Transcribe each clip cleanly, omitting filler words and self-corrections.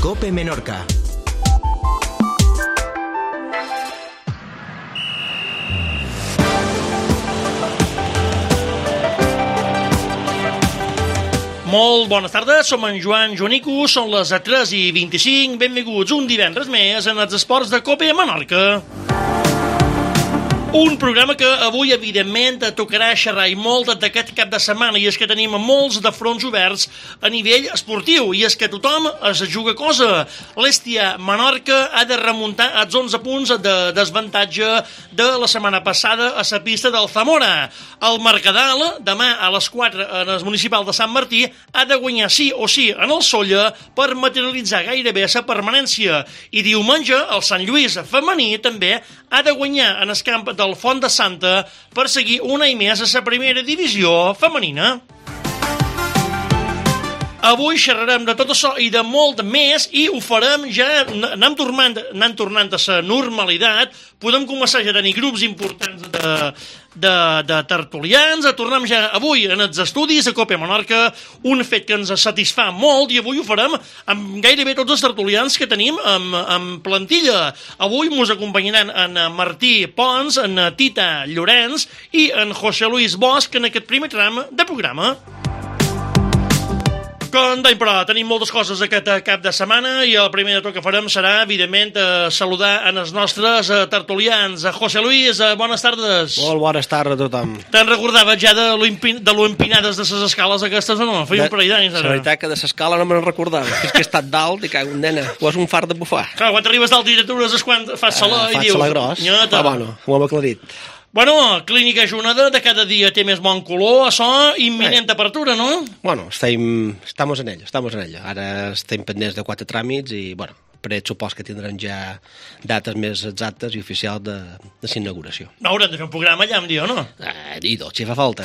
COPE Menorca. Molt bones tardes, som en Joan Joanico, són les 3:25, benvinguts un divendres més en els esports de COPE Menorca. Un programa que avui, evidentment, tocarà xerrar i molt d'aquest cap de setmana, i és que tenim molts de fronts oberts a nivell esportiu, i és que tothom es juga cosa. L'Hèstia Menorca ha de remuntar els 11 punts de desavantatge de la setmana passada a la pista del Zamora. El Mercadal, demà a les 4 en el municipal de Sant Martí, ha de guanyar sí o sí en el Sóller per materialitzar gairebé la permanència. I diumenge, el Sant Lluís femení també ha de guanyar en el camp del Font de Santa per seguir un any més a la primera divisió femenina. Avui xerrarem de tot això i de molt més, i ho farem ja, anant tornant a la normalitat. Podem començar ja a tenir grups importants de tertulians. Tornem ja avui en els estudis a COPE Menorca, un fet que ens satisfà molt, i avui ho farem amb gairebé tots els tertulians que tenim en plantilla. Avui ens acompanyaran en Martí Pons, en Tita Llorenç i en José Luis Bosch en aquest primer tram de programa. Però tenim moltes coses aquest cap de setmana, i el primer de tot que farem serà, evidentment, saludar en els nostres tertulians. José Luis, bones tardes. Molt bones tardes a tothom. Te'n recordaves ja de lo empinades de les escales aquestes o no? Feia un parell d'anys. La veritat que de l'escala no me'n recordava. És que he estat dalt i cago en nena. Ho és un fart de bufar. Clar, quan t'arribes dalt i t'atures és quan fas saló i dius... Faig saló gros. Bueno, ho hem aclarit. Bueno, Clínica Juneda de cada dia té més bon color, això, imminent apertura, no? Bueno, estamos en ello. Ara estem pendents de 4 tràmits i, bueno, per supos que tindrem ja dates més exactes i oficials de l'inauguració. No, haurem de fer un programa allà, em diu, no? I tot, si fa falta.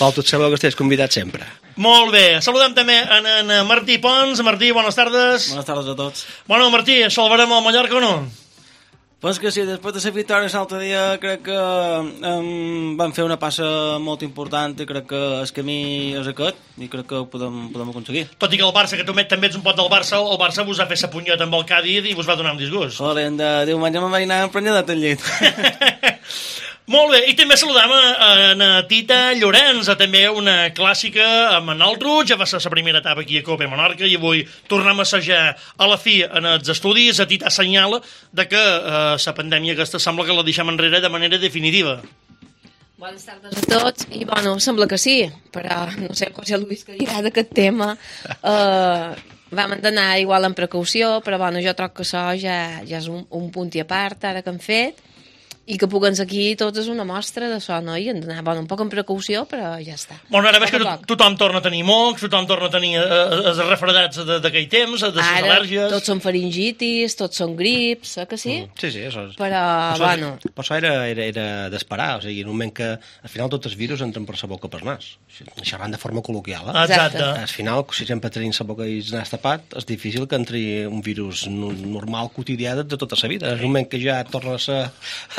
Val, tots sabeu que estàs convidat sempre. Molt bé. Saludem també en Martí Pons. Martí, bones tardes. Bones tardes a tots. Bueno, Martí, salvarem el Mallorca o no? Pues que sí, després de la victòria l'altre dia crec que vam fer una passa molt important i crec que el camí és aquest i crec que ho podem aconseguir. Tot i que el Barça, que tu també ets un pot del Barça, el Barça vos va fer sa punyeta amb el Cádiz i vos va donar un disgust. Joder, de diumenge me'n vaig anar emprenyat al llit. Molt bé, i també saludam en Tita Llorenç, també una clàssica amb en Altruig. Ja va ser la primera etapa aquí a COPE Menorca i avui tornem a assajar a la fi en els estudis. A Tita assenyala de que la pandèmia aquesta sembla que la deixem enrere de manera definitiva. Bones tardes a tots, i bueno, sembla que sí, però no sé, José Luis, que dirà d'aquest tema. Vam anar igual amb precaució, però bueno, jo troc que això ja és un punt i a part, ara que hem fet, i que puguem aquí tots és una mostra d'això, no? I hem d'anar, un poc amb precaució, però ja està. Bueno, ara veig que tothom torna a tenir mocs, tothom torna a tenir els refredats d'aquell temps, de les al·lèrgies... Ara tots són faringitis, tots són grips, que sí? Sí, això és... Però, bueno... Però això era d'esperar, o sigui, en un moment que al final tots els virus entren per la boca per nas. Xerrant de forma col·loquial, Exacte. Al final, si sempre tenim la boca i el nas tapat, és difícil que entri un virus normal, quotidià de tota la vida. En un moment que ja torna a ser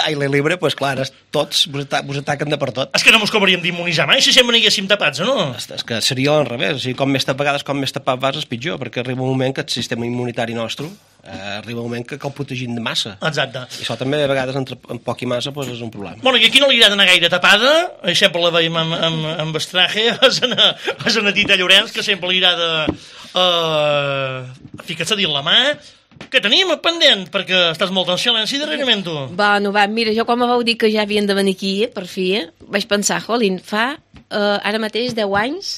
aire libre, doncs clar, tots vos ataquen de per tot. És que no mos cobraríem d'immunitzar mai si sempre n'haguéssim tapats, o no? És que seria al revés, o sigui, com més tapat vas és pitjor, perquè arriba un moment que el sistema immunitari nostre arriba un moment que cal protegir de massa. Exacte. I això també a vegades entre poc i massa doncs és un problema. Bueno, i aquí no li agrada anar gaire tapada, sempre la veiem amb estraje, és una Tita Llorenç, que sempre li agrada ficar-se dins la mà. Què tenim pendent? Perquè estàs molt en silenci darrerament, tu. Bueno, mira, jo quan me vau dir que ja havien de venir aquí, per fi, vaig pensar, jolín, fa ara mateix 10 anys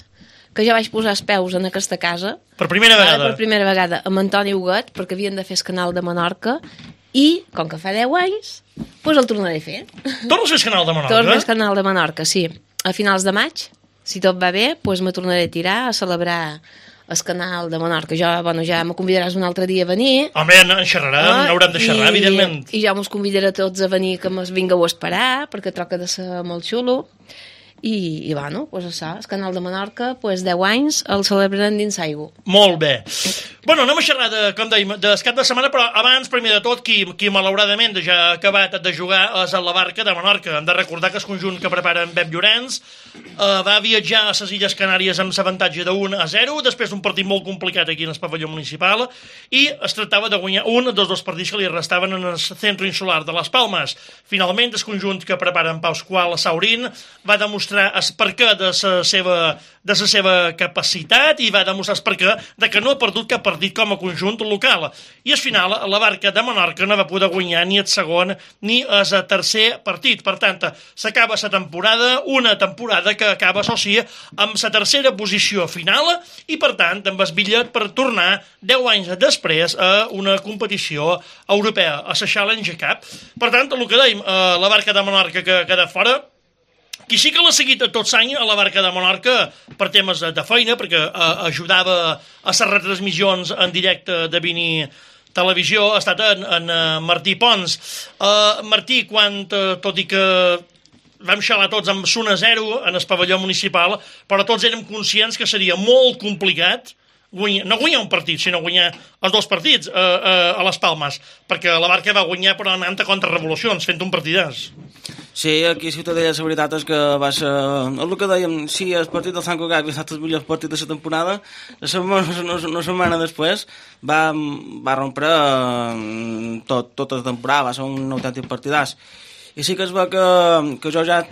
que ja vaig posar els peus en aquesta casa. Per primera vegada? Per primera vegada, amb Antoni Huguet, perquè havien de fer el canal de Menorca, i, com que fa 10 anys, doncs el tornaré a fer. Tornes a fer el canal de Menorca? Torno a fer el canal de Menorca, sí. A finals de maig, si tot va bé, doncs me tornaré a tirar a celebrar el canal de Menorca. Ja me convidaràs un altre dia a venir. Home, en xerrarem, n'haurem de xerrar, evidentment. I ja mos convidaré tots a venir, que mos vingueu a esperar, perquè troca de ser molt xulo. I bueno, doncs això, el canal de Menorca, 10 anys, el celebrarem dins aigua. Molt bé. Bueno, anem a xerrar, com dèiem, del cap de setmana, però abans, primer de tot, qui malauradament ja ha acabat de jugar és el Barca de Menorca. Hem de recordar que el conjunt que prepara en Pep Llorenç va viatjar a les Illes Canàries amb l'avantatge de 1-0, després d'un partit molt complicat aquí en el pavelló municipal, i es tractava de guanyar un dels dos partits que li restaven en el centre insular de les Palmes. Finalment, el conjunt que prepara en Pau Escual a Saurín va demostrar el perquè de la seva capacitat i va demostrar el perquè de que no ha perdut cap partit com a conjunt local. I al final, la Barca de Menorca no va poder guanyar ni el segon ni el tercer partit. Per tant, s'acaba la temporada, una temporada que acaba, això sí, amb la tercera posició final i, per tant, amb el bitllet per tornar 10 anys després a una competició europea, a la Challenge Cup. Per tant, el que dèiem, la Barca de Menorca que queda fora, qui sí que l'ha seguit tot l'any a la Barca de Menorca per temes de feina, perquè ajudava a les retransmissions en directe de Vini Televisió, ha estat en Martí Pons. Martí, tot i que vam xalar tots amb 1-0 en el pavelló municipal, però tots érem conscients que seria molt complicat no guanyar un partit, sinó guanyar els dos partits a les Palmes, perquè la Barca va guanyar però anant a contrarrevolucions, fent un partidàs. Sí, aquí a Ciutadella la veritat és que va ser... El que dèiem, sí, el partit del Sant Cugat havia estat el millor partit de la temporada, una setmana després va rompre tota la temporada, va ser un autèntic partidàs. I sí que es va que jo ja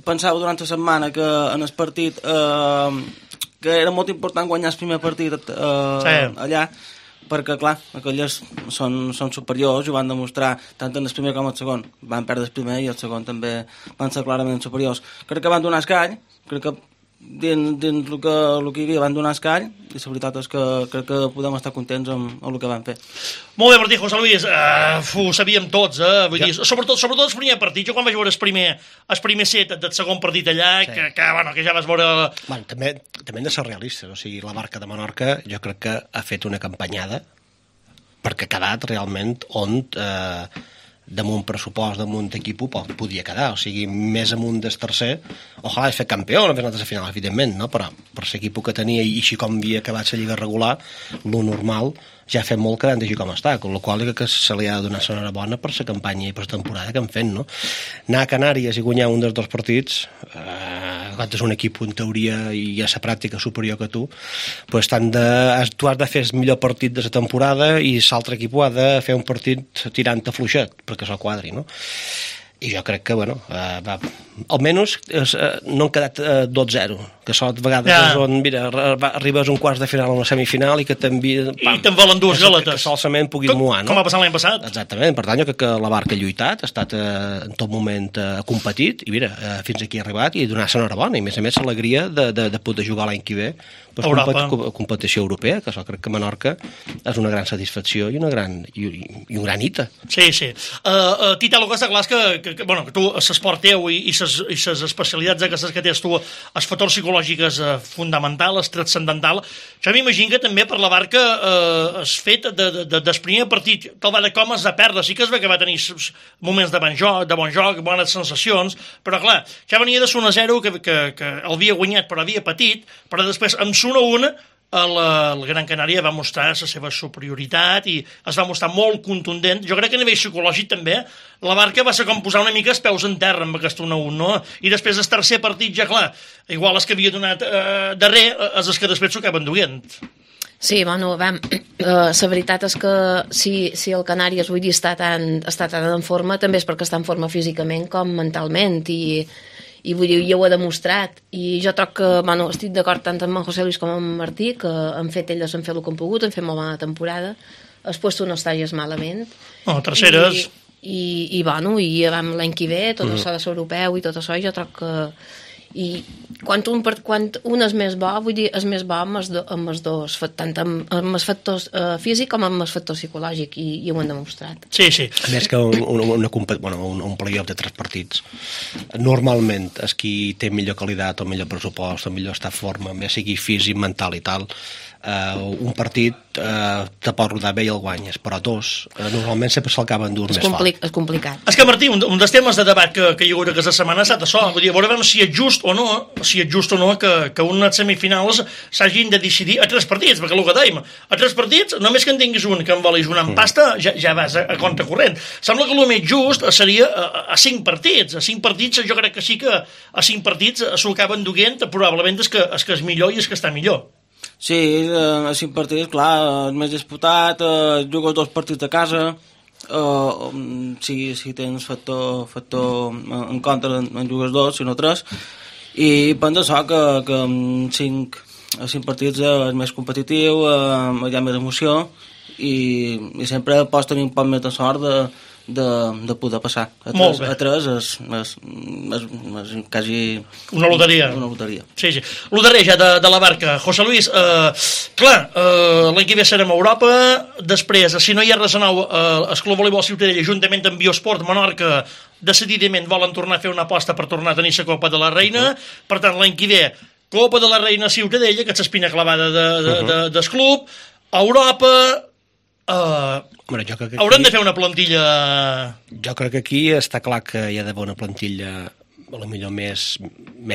pensava durant la setmana que en el partit que era molt important guanyar el primer partit allà, perquè, clar, aquelles són superiors i ho van demostrar tant en el primer com el segon. Van perdre el primer i el segon també van ser clarament superiors. Crec que van donar escall, crec que dins el que hi havia van donar escall i la veritat és que crec que podem estar contents amb el que van fer. Molt bé, Martí, José Luis, ho sabíem tots, vull dir, sobretot el primer partit. Jo quan vaig veure el primer set del segon partit allà, sí, que ja vas veure... Bueno, també hem de ser realistes, o sigui, la Barca de Menorca jo crec que ha fet una campanyada perquè ha quedat realment on damunt pressupost, damunt equip podia quedar, o sigui, més amunt del tercer, ojalà és fer campió, no fer nosaltres a final, evidentment, no? Però per l'equip que tenia i així com havia acabat la lliga regular, lo normal ja ha fet molt que han d'així com està, amb la qual cosa que se li ha de donar l'enhorabona per la campanya i per la temporada que han fet, no? Anar a Canàries i guanyar un dels dos partits, quan és un equip en teoria i a la pràctica superior que tu, pues tu has de fer el millor partit de la temporada i l'altre equip ha de fer un partit tirant a fluixet, perquè se'l quadri, no? I jo crec que, bueno, almenys no han quedat 2-0, que això de vegades és on, mira, arribes a un quart de final o una semifinal i que t'envien... I te'n volen dues galetes. Que solament puguis moar, no? Com va passar l'any passat. Exactament, per tant, jo crec que la Barca ha lluitat, ha estat en tot moment competit, i mira, fins aquí ha arribat i donar-se enhorabona, i a més l'alegria de poder jugar l'any que ve competició europea, que això crec que Menorca és una gran satisfacció i un gran hita. Sí. Tita, el que està clar és que tu, l'esport teu i les especialitats aquestes que tens tu, els factors psicològics fonamental, el transcendental, jo m'imagino que també per la Barca has fet del primer partit, te'l va de com has de perdre, sí que es ve que va tenir moments de bon joc, bones sensacions, però clar, ja venia de 1-0 que el havia guanyat però havia patit, però després amb 1-1 el Gran Canària va mostrar la seva superioritat i es va mostrar molt contundent. Jo crec que a nivell psicològic també la Barca va ser com posar una mica els peus en terra amb aquest 1-1, no? I després el tercer partit ja clar, igual els que havia donat darrer els que després s'ho acaben duent. Sí, bueno, la veritat és que si el Canàries avui dia està tan en forma també és perquè està en forma físicament com mentalment i vull dir, ja ho ha demostrat i jo troc que, bueno, estic d'acord tant amb en José Luis com amb Martí que han fet el que han pogut, han fet molt bona temporada el puesto no està gens malament terceres i bueno, i l'any que ve tot això de l'europeu i tot això jo troc que i quan un és més bo, vull dir, és més bo amb els dos, tant amb els factors físic com amb els factors psicològic i ho han demostrat. Sí. A més que un playoff de 3 partits normalment és qui té millor qualitat o millor pressupost o millor estat forma, més sigui físic, mental i tal, un partit te pot rodar bé i el guanyes, però dos normalment sempre se'l acaben dur més fort. És complicat. És que, Martí, un dels temes de debat que hi haurà aquesta setmana ha estat això. Vull dir, veurem si és just o no que unes semifinals s'hagin de decidir a 3 partits, perquè el que dèiem, a 3 partits, només que en tinguis un que en volis una en pasta, ja vas a compte corrent. Sembla que el més just seria a 5 partits. A 5 partits jo crec que sí que a 5 partits s'ho acaben duent, probablement és que és millor i és que està millor. Sí, a 5 partits, clar, el més disputat, jugues 2 partits a casa, si tens factor en contra en jugues 2, si no 3, i penso això que amb 5 partits és més competitiu, hi ha més emoció, i sempre pots tenir un poc més de sort de poder passar. A 3 és quasi una loteria. Sí. Loteria ja de la barca. José Luis, clar, l'any que ve serem a Europa, després, si no hi ha res a nou, el Club Voleibol Ciutadella, juntament amb Biosport Menorca, decididament volen tornar a fer una aposta per tornar a tenir la Copa de la Reina. Per tant, l'any que ve, Copa de la Reina Ciutadella, que és l'espina clavada del club, a Europa. Bueno, jo crec que hauran de fer una plantilla. Jo crec que aquí està clar que hi ha d'haver una plantilla potser més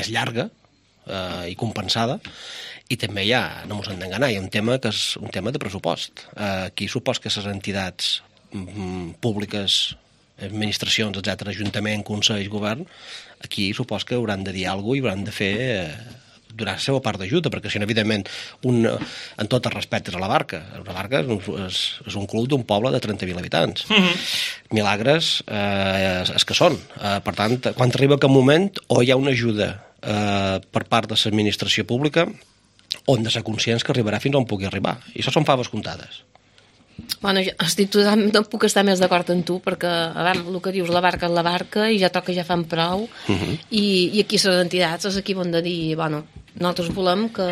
llarga i compensada, i també no ens hem d'enganar, hi ha un tema que és un tema de pressupost. Aquí supos que les entitats públiques, administracions, etc., ajuntament, consell, govern, aquí supos que hauran de dir alguna cosa i hauran de fer donar la seva part d'ajuda, perquè si no, evidentment, en tot el respecte a la Barca. La Barca és un club d'un poble de 30.000 habitants. Milagres és que són. Per tant, quan arriba aquest moment, o hi ha una ajuda per part de l'administració pública, o hem de ser conscients que arribarà fins on pugui arribar. I això són faves comptades. Bueno, no puc estar més d'acord amb tu, perquè el que dius, la barca és la barca i ja toca, ja fan prou, i aquí les entitats és aquí on de dir, bueno, nosaltres volem que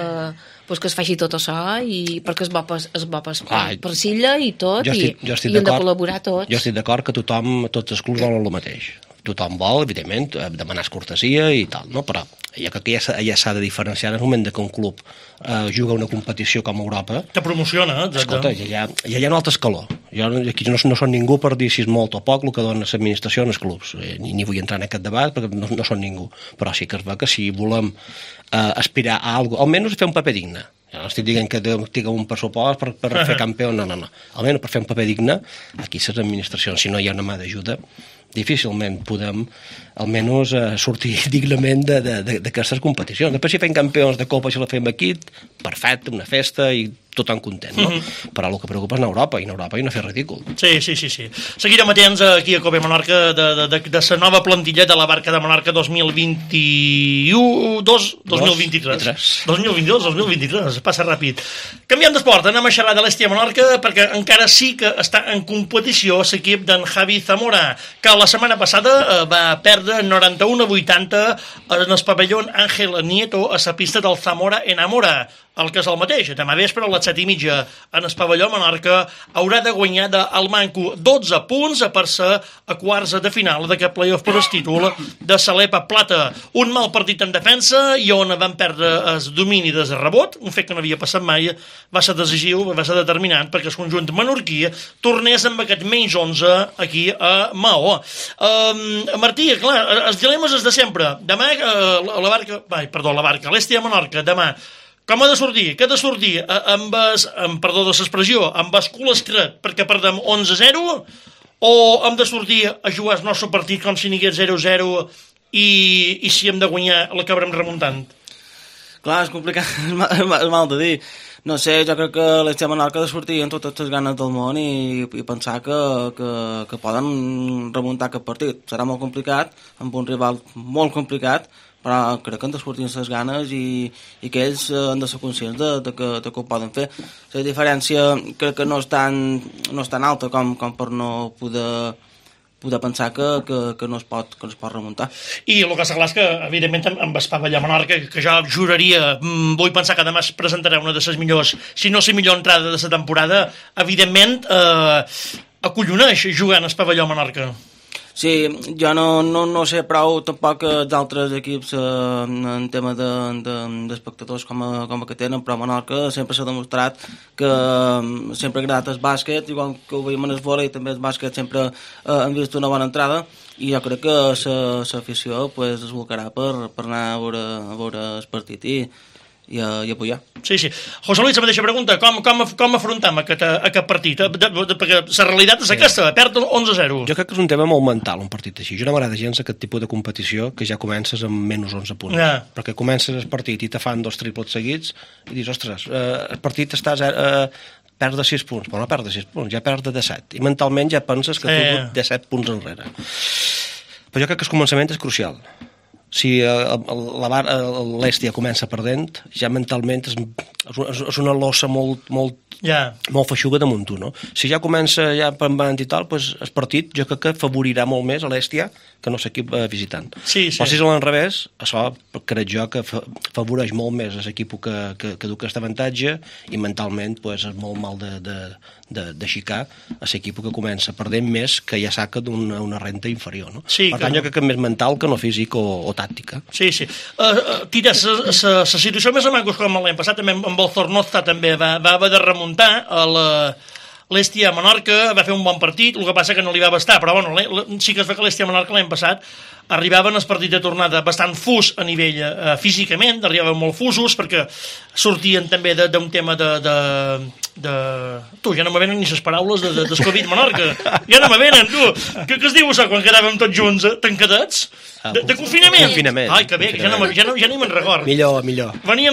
es faci tot això, i perquè és bo per Silla i tot, i hem de col·laborar tots. Jo estic d'acord que tots els clubs volen el mateix. Tothom vol, evidentment, demanar cortesia i tal, no? Però jo crec que ja s'ha de diferenciar en el moment que un club juga una competició com a Europa. Te promociona, escolta, ja hi ha un altre escaló. Jo aquí no són ningú per dir si és molt o poc el que dona l'administració en els clubs. Ni vull entrar en aquest debat perquè no són ningú. Però sí que es veu que si volem aspirar a alguna cosa, almenys fer un paper digne. Ja no estic dient que tinguem un pressupost per fer campió, no. Almenys per fer un paper digne, aquí les administracions, si no hi ha una mà d'ajuda, difícilment podem almenys sortir dignament d'aquestes competicions. Després si fem campions de Copa, si la fem aquí, perfecte, una festa i tothom content, no? Però el que preocupa és Europa, i en Europa hi ha no fer ridícul. Sí. Seguirem atents aquí a Copa Menorca de la nova plantilla de la Barca de Menorca 2021-2023. 2022-2023, passa ràpid. Canviem d'esport, anem a xerrar de l'Hèstia Menorca, perquè encara sí que està en competició l'equip d'en Javi Zamora, que la setmana passada va perdre 91-80 en el pavelló Ángel Nieto a la pista del Zamora Enamora. El que és el mateix, demà vespre a les 7:30 en el pavelló Menorca haurà de guanyar del Manco 12 punts per ser a quarts de final d'aquest playoff per el títol de Salepa Plata. Un mal partit en defensa i on van perdre el domini des de rebot, un fet que no havia passat mai, va ser decisiu, va ser determinant perquè el conjunt menorquí tornés amb aquest menys 11 aquí a Maó. Martí, clar, els dilemes és de sempre. Demà l'Hèstia Menorca, demà com ha de sortir? Què ha de sortir? Perdó de l'expressió, amb el cul estret perquè perdem 11-0, o hem de sortir a jugar el nostre partit com si n'hi hagués 0-0 i si hem de guanyar l'acabarem remuntant? Clar, és complicat, és mal de dir. No sé, jo crec que l'Hèstia Menorca ha de sortir amb totes les ganes del món i pensar que poden remuntar aquest partit. Serà molt complicat, amb un rival molt complicat, però crec que han de sortir les ganes i que ells han de ser conscients de que ho poden fer. La diferència crec que no és tan alta com per no poder pensar que no es pot remuntar. I el que està clar és que, evidentment, amb el pavelló Menorca, que jo juraria, vull pensar que demà es presentarà una de les millors, si no la millor entrada de la temporada, evidentment, acolloneix jugant al pavelló Menorca. Sí, jo no sé prou tampoc d'altres equips en tema d'espectadors com a que tenen, però a Menorca sempre s'ha demostrat que sempre ha agradat el bàsquet, igual que ho veiem en el vòlei, també el bàsquet sempre han vist una bona entrada, i jo crec que l'afició pues, es volcarà per anar a veure el partit i apoyar. Sí. José Luis, la mateixa pregunta, com afrontem aquest partit? Perquè la realitat és aquesta, perd 11-0. Jo crec que és un tema molt mental, un partit així. Jo no m'agrada gens aquest tipus de competició que ja comences amb menys 11 punts. Perquè comences el partit i te fan 2 triples seguits i dius, ostres, el partit estàs perds de 6 punts, però no perds de 6 punts, ja perds de 7. I mentalment ja penses que tu de 7 punts enrere. Però jo crec que el començament és crucial. Si l'Èstia comença perdent, ja mentalment és una lossa molt feixuga damunt tu, no? Si ja comença ja pembant i tal, doncs el partit jo crec que favorirà molt més a l'Èstia que no l'equip visitant. Sí. Però si és a l'enrevés, això crec jo que favoreix molt més l'equip que du aquest avantatge i mentalment és molt mal d'aixecar a l'equip que comença perdent més que ja saca d'una renta inferior, no? Sí, per tant, jo crec que és més mental que no físic o tàctica. Sí. Tira, la situació més o menys com l'any passat, també amb el Zornoza també va haver de remuntar a l'Èstia Menorca, va fer un bon partit, el que passa que no li va bastar, però bueno, sí que es veu que l'Èstia Menorca l'any passat arribaven als partits de tornada bastant fus a nivell físicament, arribaven molt fusos perquè sortien també d'un tema tu, ja no me venen ni les paraules del Covid Menorca, ja no me venen, tu, què es diu això quan quedàvem tots junts tancadets? De confinament. Ai, que bé, que ja ni me'n record. Millor. Venia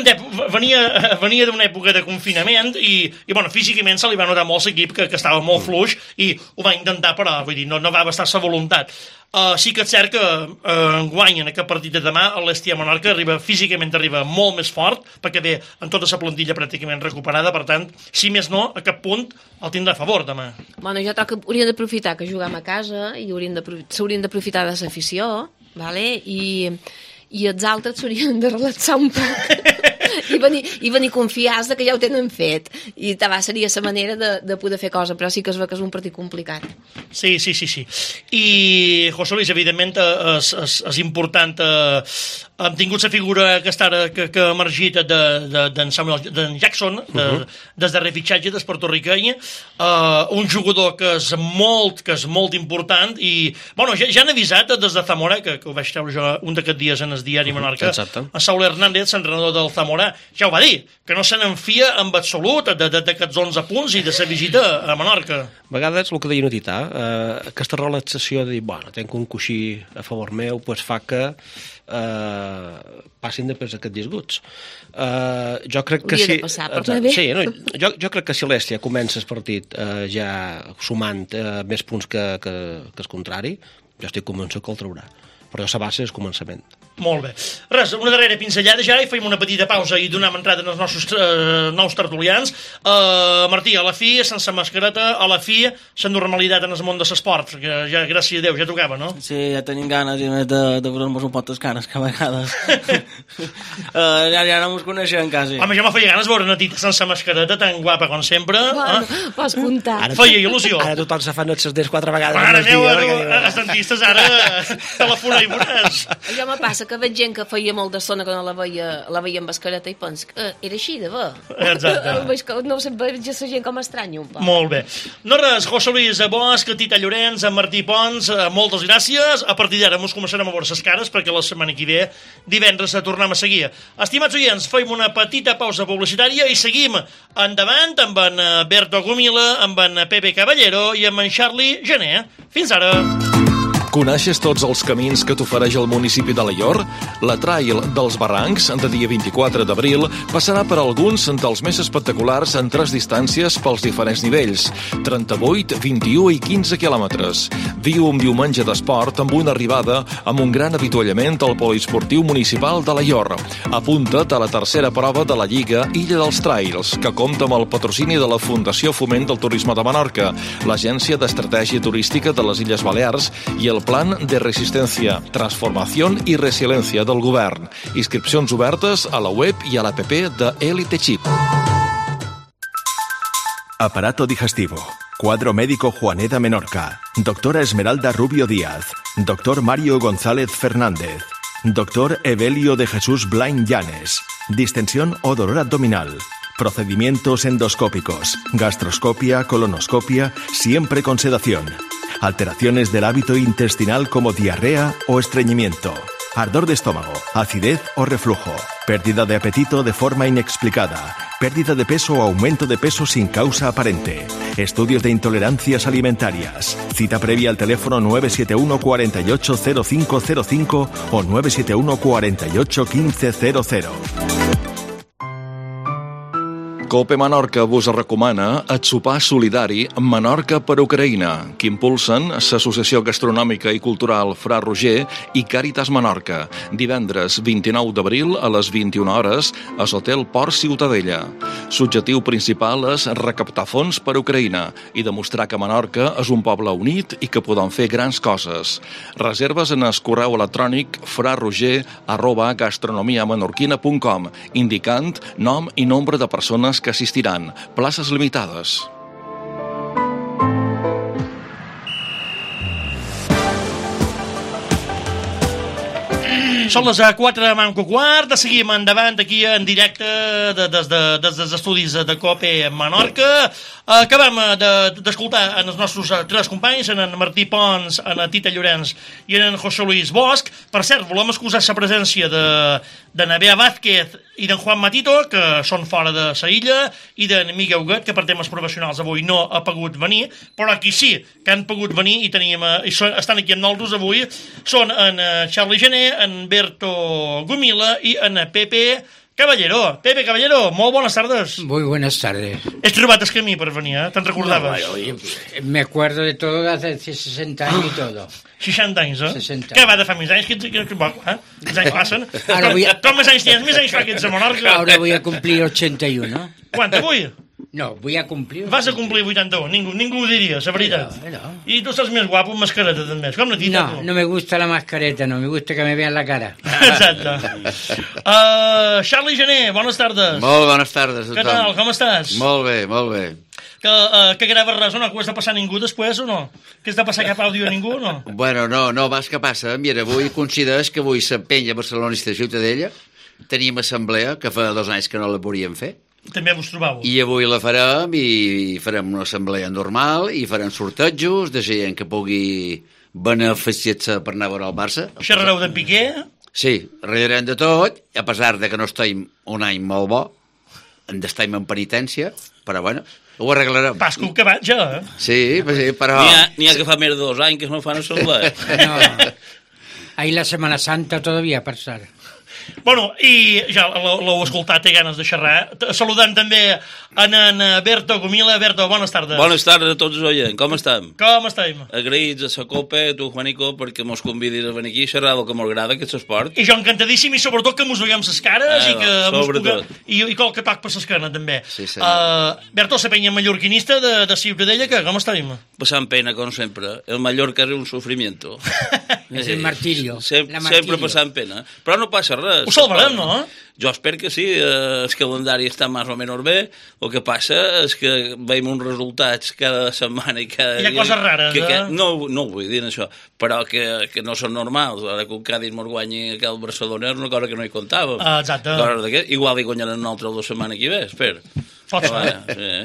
d'una època de confinament i bueno, físicament se li va notar molt l'equip que estava molt fluix i ho va intentar, però vull dir, no va bastar sa voluntat. Sí que és cert que enguany en aquest partit de demà l'Èstia Menorca físicament arriba molt més fort perquè ve amb tota la plantilla pràcticament recuperada, per tant, si més no, a cap punt el tindrà a favor demà. Bueno, jo crec que hauríem d'aprofitar que juguem a casa i s'haurien d'aprofitar de l'afició, vale? I els altres s'haurien de relaxar un poc i venir confiats que ja ho tenen fet, i seria la manera de poder fer cosa, però sí que es veu que és un partit complicat. Sí. I, José Luis, evidentment és important, hem tingut la figura aquesta que ha emergit d'en Jackson, des de refitxatge del portorriqueny, un jugador que és molt important, i bueno, ja han avisat des de Zamora, que ho vaig treure jo un d'aquests dies en el diari Menorca, a Saúl Hernández, l'entrenador del Zamora, ja ho va dir, que no se n'enfia en absolut d'aquests 11 punts i de la visita a Menorca. A vegades el que deia Notità, aquesta relaxació de dir, bueno, tenc un coixí a favor meu, doncs fa que passin després aquests disguts. Jo crec que hauria de passar, per bé. Sí, jo crec que si l'Èstia comença el partit ja sumant més punts que el contrari, jo estic convençut que el traurà. Però la base és començament. Molt bé. Res, una darrera pinzellada ja i fem una petita pausa i donem entrada als nostres nous tertulians. Martí, a la fi, sense mascareta, a la fi, la normalitat en el món de l'esport, que ja, gràcies a Déu, ja tocava, no? Sí, ja tenim ganes i més de veure-nos un pot les cares, que a vegades ja no ens coneixem quasi. Home, ja me feia ganes veure una tita sense mascareta tan guapa com sempre. Bueno, pots comptar. Feia il·lusió. Ara tothom se fan els dents 4 vegades. Mare meva, els dentistes ara telefona i veuràs. Jo me passa que veig gent que feia molt d'estona que no la veia amb mascareta i penso que era així de bé. Exacte. No sé, veig la gent com estranya un poc. Molt bé. No res, José Luis Bosch, Tita Llorenç, Martí Pons, moltes gràcies. A partir d'ara ens començarem a veure les cares perquè la setmana que ve, divendres, tornem a seguir. Estimats oients, fem una petita pausa publicitària i seguim endavant amb en Berto Gomila, amb en Pepe Caballero i amb en Charlie Gené. Fins ara! Coneixes tots els camins que t'ofereix el municipi d'Alaior? La Trail dels Barrancs, de dia 24 d'abril, passarà per alguns dels més espectaculars en 3 distàncies pels diferents nivells, 38, 21 i 15 quilòmetres. Viu un diumenge d'esport amb una arribada amb un gran avituallament al poliesportiu municipal d'Alaior. Apunta't a la tercera prova de la Lliga Illa dels Trails, que compta amb el patrocini de la Fundació Foment del Turisme de Menorca, l'Agència d'Estratègia Turística de les Illes Balears i el Plan de Resistencia, Transformación y Resiliencia del Govern. Inscripcions obertes a la web i a l'app de Elite Chip. Aparato digestivo. Cuadro médico Juaneda Menorca. Doctora Esmeralda Rubio Díaz. Doctor Mario González Fernández. Doctor Evelio de Jesús Blain Llanes. Distensión o dolor abdominal. Procedimientos endoscópicos. Gastroscopia, colonoscopia, siempre con sedación. Alteraciones del hábito intestinal como diarrea o estreñimiento. Ardor de estómago, acidez o reflujo. Pérdida de apetito de forma inexplicada. Pérdida de peso o aumento de peso sin causa aparente. Estudios de intolerancias alimentarias. Cita previa al teléfono 971 48 0505 o 971 48 1500. Cope Menorca vos recomana el sopar solidari Menorca per Ucraïna, que impulsen l'Associació Gastronòmica i Cultural Fra Roger i Càritas Menorca, divendres 29 d'abril a les 21 hores a l'Hotel Port Ciutadella. L'objectiu principal és recaptar fons per Ucraïna i demostrar que Menorca és un poble unit i que podem fer grans coses. Reserves en el correu electrònic fraroger@gastronomiamenorquina.com, indicant nom i nombre de persones que assistiran. Places limitades. Són les 4 de manco quart, seguim endavant aquí en directe des dels estudis de COPE Menorca. Acabem d'escoltar en els nostres 3 companys, en Martí Pons, en Tita Llorenç i en José Luis Bosch. Per cert, volem excusar la presència de Navea Vázquez i d'en Juan Matito, que són fora de la illa, i d'en Miguel Huguet, que per temes professionals avui no ha pogut venir, però aquí sí que han pogut venir i estan aquí amb nosaltres avui. Són en Charlie Gené, en Berto Gumila i en Pepe Caballero. Pepe Caballero, molt bones tardes. Muy buenas tardes. Has trobat el camí per venir, Te'n recordaves? No, oye, me acuerdo de todo hace 60 años y todo. 60 anys, 60. Què va de fa més anys? Els anys passen. Com més anys tens? Més anys fa que ets a Menorca. Ahora voy a cumplir 81. Quant, avui? No, voy a cumplir... Vas a complir 81, ningú ho diria, la veritat. No. I tu estàs més guapo amb mascareta, també. Com la tita, tu? No me gusta la mascareta, no, me gusta que me vean la cara. Exacte. Charlie Gené, bones tardes. Molt bones tardes, tothom. Què tal, com estàs? Molt bé, molt bé. Que graves res o no? Que ho has de passar ningú després o no? Que has de passar cap àudio a ningú o no? Bueno, no, vas que passa. Mira, avui consideres que avui s'empenya barcelonista de Ciutadella. Tenim assemblea, que fa 2 anys que no la volíem fer. També vos trobàveu. I avui la farem i farem una assemblea normal i farem sortejos de gent que pugui beneficiar-se per anar a veure el Barça. Xerrareu de Piqué? Sí, ratllarem de tot, a pesar de que no estem un any molt bo, estem en penitència, però bueno, ho arreglarem. Pasco que vaig, ja, Sí, però... N'hi ha que fa més de 2 anys que no fan assemblea. No, ahí la Semana Santa todavía pasar. Bueno, i ja l'heu escoltat, té ganes de xerrar. Saludant també en Berto Gumila. Berto, bones tardes. Bones tardes a tots els oients, com estem? Com estem? Agraïts a la COPE, a tu, Juanico, perquè mos convidis a venir aquí a xerrar del que m'agrada, que és l'esport. I jo encantadíssim, i sobretot que mos veiem les cares i que sobretot. I qual que toc per l'esquena, també. Sí, Berto, la penya mallorquinista de Ciutadella, que com estem? Passant pena, com sempre. El Mallorca és un sufrimiento. És el martirio. Sempre passant pena. Però no passa res. Ho salvarem, no? Jo espero que sí, el calendari està més o menys bé, el que passa és que veiem uns resultats cada setmana i cada dia... Hi ha coses rares, No vull dir això, però que no són normals. Ara que un Cádiz mos guanyi aquell Barcelona és una cosa que no hi comptàvem. Exacte. Igual hi guanyaran un altre 2 setmanes que ve, espera. Pot ser.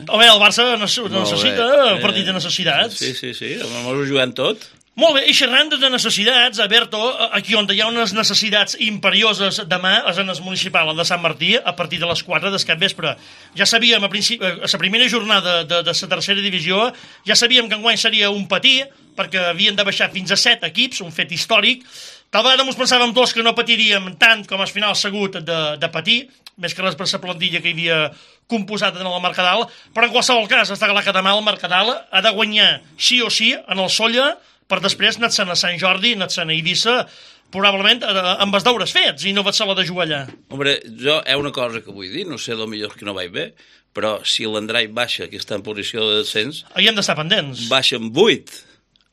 Home, el Barça necessita partit de necessitats. Sí, mos ho juguem tot. Molt bé, i xerrant de necessitats, Berto, aquí on hi ha unes necessitats imperioses demà és en el municipal, el de Sant Martí, a partir de les 4 del capvespre. Ja sabíem, a la primera jornada de la tercera divisió, ja sabíem que enguany seria un patí, perquè havien de baixar fins a 7 equips, un fet històric. Tal vegada ens pensàvem tots que no patiríem tant com al final segut de patir, més que res per la plantilla que hi havia composat en el Mercadal, però en qualsevol cas, està clar que demà el Mercadal ha de guanyar sí o sí en el Sóller, per després anar-se'n a Sant Jordi, anar-se'n a Eivissa, probablement amb els deures fets, i no vaig ser la de jugar allà. Hombre, jo hi ha una cosa que vull dir, no sé, millor que no vaig bé, però si l'Andrai baixa, que està en posició de descens... Hi hem d'estar pendents. Baixa amb 8.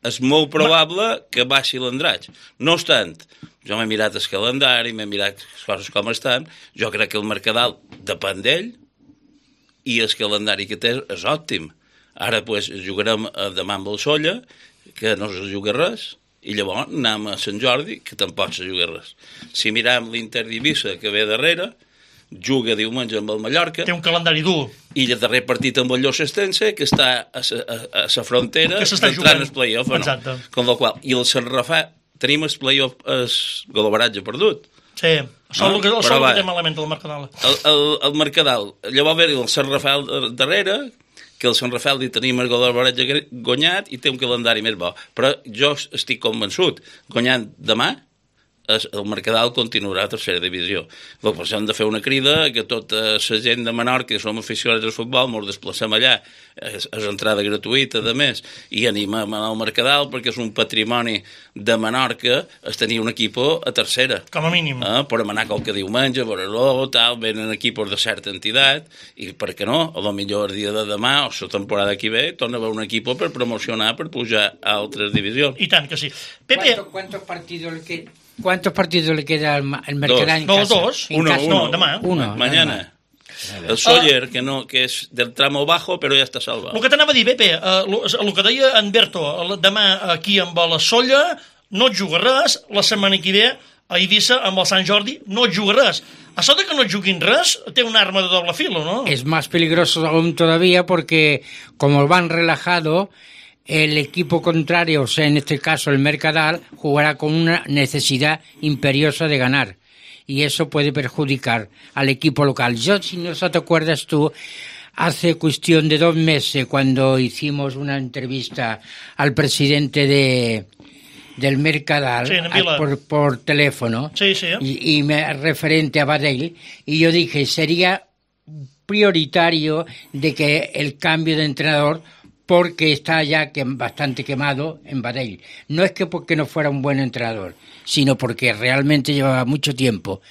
És molt probable que baixi l'Andratx. No obstant, jo m'he mirat el calendari, m'he mirat les coses com estan, jo crec que el Mercadal depèn d'ell, i el calendari que té és òptim. Ara pues, jugarem demà amb el Solla, que no se juga res, i llavors anem a Sant Jordi, que tampoc se juga res. Si miram l'Inter d'Eivissa, que ve darrere, juga diumenge amb el Mallorca. Té un calendari dur. I el darrer partit amb el Llossestense, que està a la frontera d'entrar en el play-off. Exacte. Con la qual, i el Sant Rafael, tenim el play-off, el golabaratge perdut. Sí, el que té malament el Mercadal. El Mercadal. Llavors ve el Sant Rafael darrere, que el Sant Rafael hi tenim el golabaratge guanyat i té un calendari més bo. Però jo estic convençut, guanyant demà, el Mercadal continuarà a tercera divisió. Llavors hem de fer una crida que tota la gent de Menorca, que som aficionats al futbol, ens desplacem allà, és entrada gratuïta, a més, i animem al Mercadal perquè és un patrimoni de Menorca es tenir un equip a tercera. Com a mínim. Podem anar qualque diumenge, veure-lo, tal, venen equipos de certa entitat, i per què no? A lo millor el dia de demà o la temporada que ve torna a haver un equip per promocionar, per pujar a altres divisions. I tant que sí. Pepe... ¿Cuántos partidos le queda al Mercadal en casa? Dos. No, demà. Uno. Mañana. El Sóller, que és del tramo bajo, però ja està salvat. El que t'anava a dir, Pepe, el que deia en Berto, demà aquí amb la Solla no et juga res, la setmana que ve a Eivissa amb el Sant Jordi no et juga res. Això de que no et juguin res té un arma de doble filo, ¿no? Es más peligroso aún todavía porque como van relajado, el equipo contrario, o sea, en este caso el Mercadal, jugará con una necesidad imperiosa de ganar. Y eso puede perjudicar al equipo local. Yo, si no te acuerdas tú, hace cuestión de 2 meses, cuando hicimos una entrevista al presidente del Mercadal, sí, por teléfono, sí. y referente a Badell, y yo dije, sería prioritario de que el cambio de entrenador, porque está ya bastante quemado en Badell. No es que porque no fuera un buen entrenador, sino porque realmente llevaba mucho tiempo.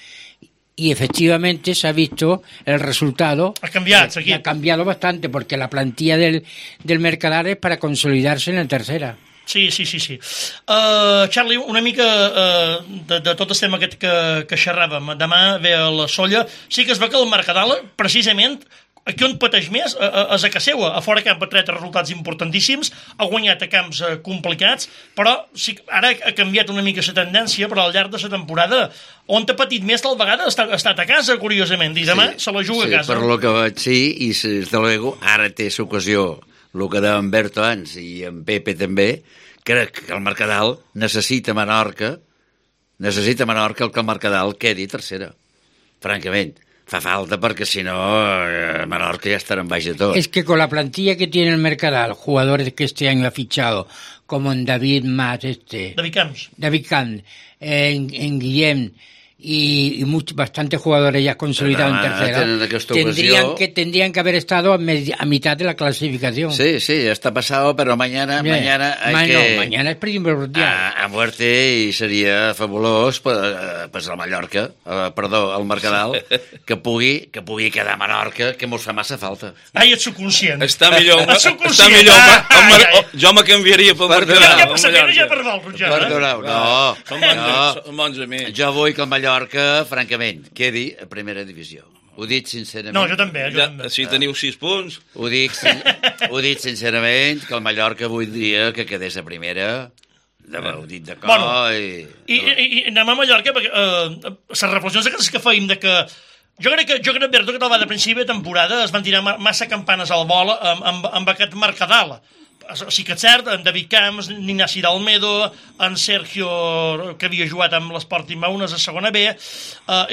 Y efectivamente se ha visto el resultado. Ha cambiado, ha cambiado bastante, porque la plantilla del Mercadal es para consolidarse en la tercera. Sí. Charlie, una mica de tot el tema aquest que xerràvem. Demà ve a la Solla. Sí que es veu que el Mercadal, precisament, aquí on pateix més és a casa seva. A fora camp ha tret resultats importantíssims, ha guanyat a camps complicats, però sí, ara ha canviat una mica la tendència, però al llarg de la temporada on ha patit més tal vegada ha estat a casa, curiosament, i demà se la juga a casa. Sí, per lo que vaig sí, i des de luego ara té l'ocasió, el que deia en Berto abans i en Pepe també, crec que el Mercadal necessita Menorca el que el Mercadal quedi tercera, francament. Fa falta porque si no Menorca ya estará en baix de todo. Es que con la plantilla que tiene el Mercadal, jugadores que este año ha fichado, como en David Camps, en Guillem y bastantes jugadores ya consolidados en tercera, tendrían que haber estado a mitad de la clasificación. Sí, está pasado, pero mañana mañana es primordial. A muerte y sería fabuloso pues el Mallorca, perdó, el Mercadal, que pugui quedar a Menorca, que mos fa massa falta. Ai, ets subconscient. Està millor. Jo me canviaria pel Mercadal. Ja passaria ja per Valros, ja. No. Som bons amics. Jo vull que el Mallorca, francament, quedi a primera divisió. Ho dic sincerament. No, jo també. Si teniu 6 punts... Ho dic sincerament, que el Mallorca voldria que quedés a primera. Ho dit de cor. I anem a Mallorca, perquè les reflexions aquestes que feim de que jo crec que Berto, que tal va de principi de temporada es van tirar massa campanes al vol amb aquest Mercadal. Sí que és cert, en David Camps, Ignaci d'Almedo, en Sergio, que havia jugat amb l'Sporting Maunes a segona B,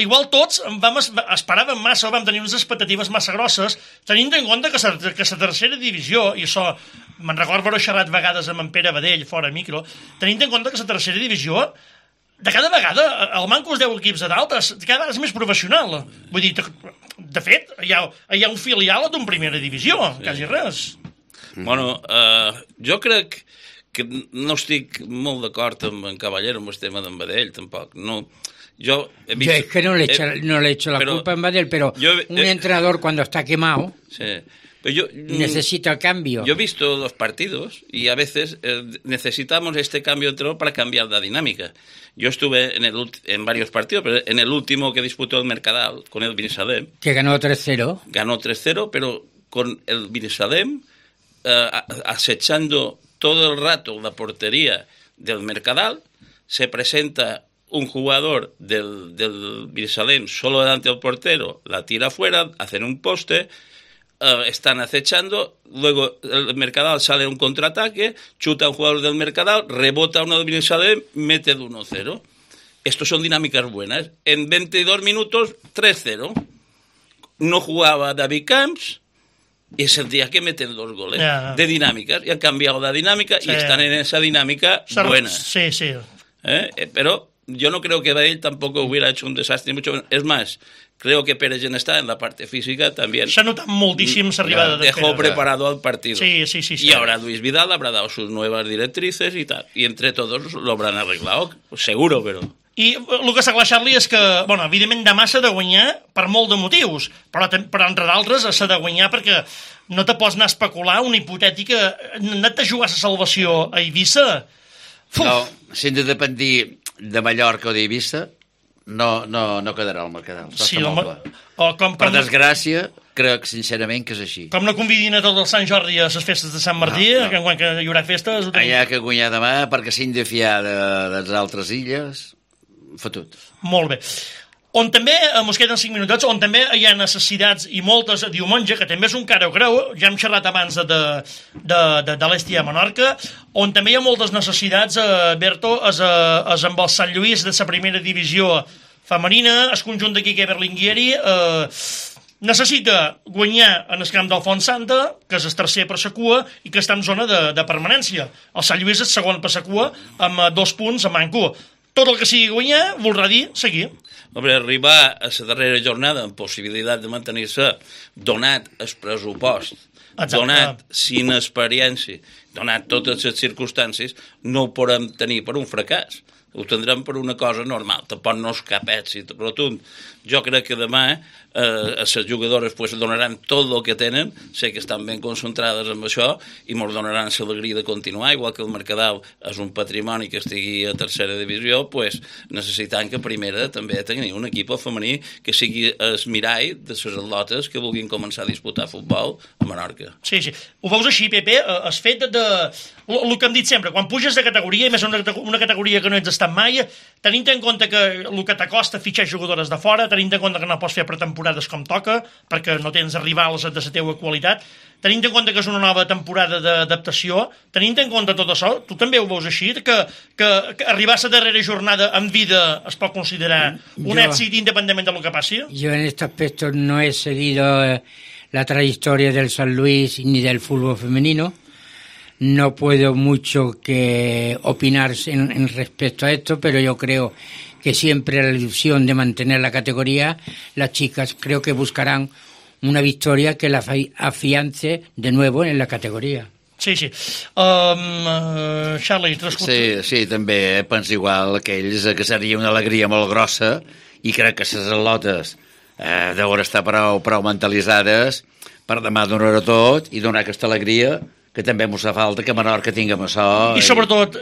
igual tots esperàvem massa, vam tenir unes expectatives massa grosses, tenint en compte que la tercera divisió, i això me'n recordo haver xerrat vegades amb en Pere Badell, fora micro, tenint en compte que la tercera divisió de cada vegada, el manco es 10 equips de dalt, cada vegada és més professional. Vull dir, de fet, hi ha un filial d'un primera divisió, quasi res. Bueno, jo crec que no estic molt d'acord amb en Caballero amb el tema d'en Badell, tampoc. No, yo es que no le echo la culpa a Badell, pero un entrenador cuando está quemado necesita el cambio. Yo he visto los partidos y a veces necesitamos este cambio de entrenador para cambiar la dinámica. Yo estuve en varios partidos, pero en el último que disputó el Mercadal con el Binissalem. Que ganó 3-0. Ganó 3-0, pero con el Binissalem acechando todo el rato la portería del Mercadal, se presenta un jugador del Birsalem solo delante del portero, la tira afuera, hacen un poste, están acechando, luego el Mercadal sale a un contraataque, chuta a un jugador del Mercadal, rebota uno del Birsalem, mete de 1-0. Estos son dinámicas buenas. En 22 minutos, 3-0. No jugaba David Camps, y es el día que meten 2 goles de dinámicas, y han cambiado la dinámica y están en esa dinámica buena. Sí. Pero yo no creo que Bale tampoco hubiera hecho un desastre, mucho. Es más, creo que Pérez está en la parte física también. Se nota muchísimo esa arribada de dejó preparado al partido. Sí. Y ahora Luis Vidal habrá dado sus nuevas directrices y tal. Y entre todos lo habrán arreglado, seguro, però... I el que s'ha clar, Charlie, és que, bueno, evidentment demà s'ha de guanyar per molt de motius, però entre d'altres s'ha de guanyar perquè no te pots anar a especular una hipotètica... Anar-te a jugar a la salvació a Eivissa... No, si hem de dependir de Mallorca o d'Eivissa, no quedarà al Mercadal. Sí, per desgràcia, crec sincerament que és així. Com no convidin a tots els Sant Jordi a les festes de Sant Martí, que quan hi haurà festes... Hi ha que guanyar demà perquè s'han de fiar de les altres illes... Fotut. Molt bé. On també, ens queden 5 minutets, on també hi ha necessitats i moltes a diumenge, que també és un cara o creu, ja hem xerrat abans de l'Estia a Menorca, on també hi ha moltes necessitats, Berto, és amb el Sant Lluís de la primera divisió femenina, el conjunt d'aquí que Berlinguieri, necessita guanyar en el camp del Font Santa, que és el tercer per la cua i que està en zona de permanència. El Sant Lluís és segon per la cua amb 2 punts a manco. Tot el que sigui guanyar voldrà dir seguir. Hombre, arribar a la darrera jornada amb possibilitat de mantenir-se, donat el pressupost, donat sin experiència, donat totes les circumstàncies, no ho podem tenir per un fracàs. Ho tindrem per una cosa normal, tampoc no és cap èxit rotund. Jo crec que demà les jugadores pues, donaran tot el que tenen, sé que estan ben concentrades amb això i ens donaran l'alegria de continuar, igual que el Mercadal és un patrimoni que estigui a tercera divisió, pues, necessitant que primera també tingui un equip femení que sigui el mirall de les atletes que vulguin començar a disputar futbol a Menorca. Sí. Ho veus així, Pepe? El fet de... El que hem dit sempre, quan puges de categoria, i més una categoria que no ets estat mai, tenint en compte que el que t'acosta fitxar jugadores de fora, tenint en compte que no pots fer pretemporades com toca, perquè no tens rivals de la teua qualitat, tenint en compte que és una nova temporada d'adaptació, tenint en compte tot això, tu també ho veus així, que arribar a la darrera jornada en vida es pot considerar un èxit independentment del que passi? Yo en este aspecto no he seguido la trayectoria del San Luis ni del fútbol femenino. No puedo mucho que opinar en respecto a esto, pero yo creo que siempre la ilusión de mantener la categoría, las chicas creo que buscarán una victoria que la afiance de nuevo en la categoría. Sí. Charlie, Sí, també penso igual que ells, que seria una alegria molt grossa i crec que les atletes deuen estar prou mentalitzades per demà donar tot i donar aquesta alegria que també ens fa falta que Menorca tinguem això. I sobretot,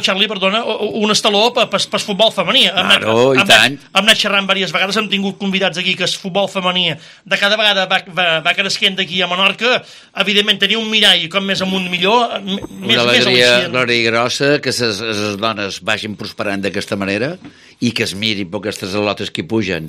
Charlie, perdona, un estaló per futbol femení. Claro, i tant. Hem anat xerrant diverses vegades, hem tingut convidats aquí que el futbol femení de cada vegada va creixent d'aquí a Menorca. Evidentment, tenir un mirall com més amunt millor, una alegria grossa, que les dones vagin prosperant d'aquesta manera i que es mirin per aquestes atletes que hi pugen.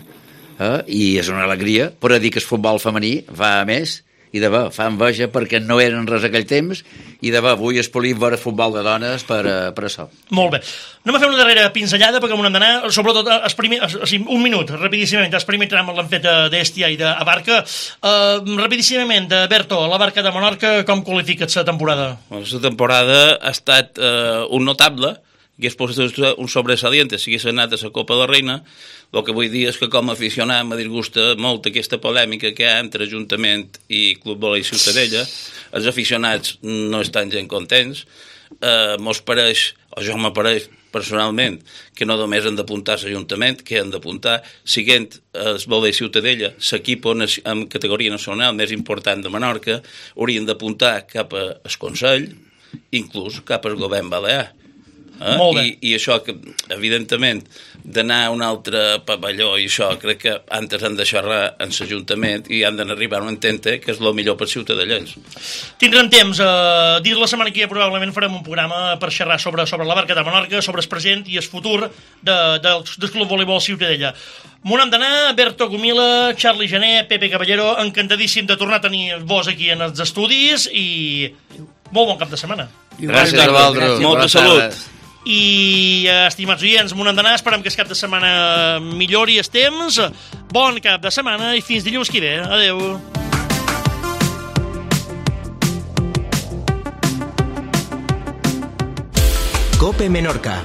I és una alegria, però dir que el futbol femení va a més i de bé, fa enveja perquè no eren res aquell temps i de bé, avui es polim veure futbol de dones per això. Molt bé. Anem a fer una darrera pinzellada perquè m'ho hem d'anar, sobretot un minut, rapidíssimament, el primer tram l'han fet d'Estia i d'Abarca. Rapidíssimament, Berto, l'Abarca de Menorca, com qualifiques la temporada? La temporada ha estat un notable, que és un sobresaliente, si hagués anat a la Copa de la Reina. El que vull dir és que com a aficionat me disgusta molt aquesta polèmica que hi ha entre Ajuntament i Club Volei Ciutadella. Els aficionats no estan gens contents. Mos pareix, o jo m'apareix personalment, que no només han d'apuntar a l'Ajuntament, que han d'apuntar, siguent el Volei Ciutadella, l'equip en categoria nacional més important de Menorca, haurien d'apuntar cap al Consell, inclús cap al govern balear. Molt bé. I això, que, evidentment, d'anar a un altre pavelló i això, crec que antes han de xerrar en l'Ajuntament i han d'arribar a un entente que és el millor per ciutadans. Tindrem temps. Dins la setmana que ja probablement farem un programa per xerrar sobre la Barca de Menorca, sobre el present i el futur del Club Voleibol Ciutadella. M'ho hem d'anar, Berto Gomila, Charlie Jané, Pepe Caballero, encantadíssim de tornar a tenir vos aquí en els estudis i molt bon cap de setmana. Gràcies a vosaltres. Molta salut. I, estimats oients, m'ho hem d'anar, esperem que el cap de setmana millori el temps. Bon cap de setmana i fins dilluns que ve. Adeu. COPE Menorca.